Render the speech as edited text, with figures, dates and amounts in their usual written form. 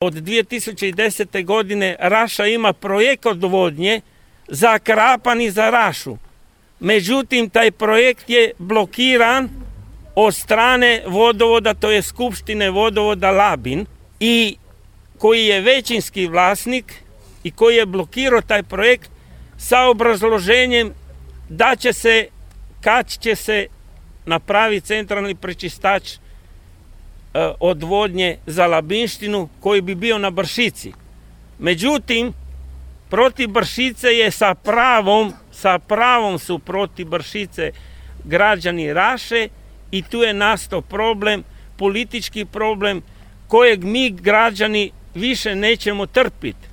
Od 2010. godine Raša ima projekt odvodnje za Krapan i za Rašu. Međutim, taj projekt je blokiran od strane vodovoda, to je Skupštine vodovoda Labin, i koji je većinski vlasnik i koji je blokirao taj projekt sa obrazloženjem da će se, kad će se napraviti centralni prečistač odvodnje za Labinštinu koji bi bio na Bršici. Međutim, protiv Bršice je sa pravom su protiv Bršice građani Raše i tu je nastao problem, politički problem kojeg mi građani više nećemo trpiti.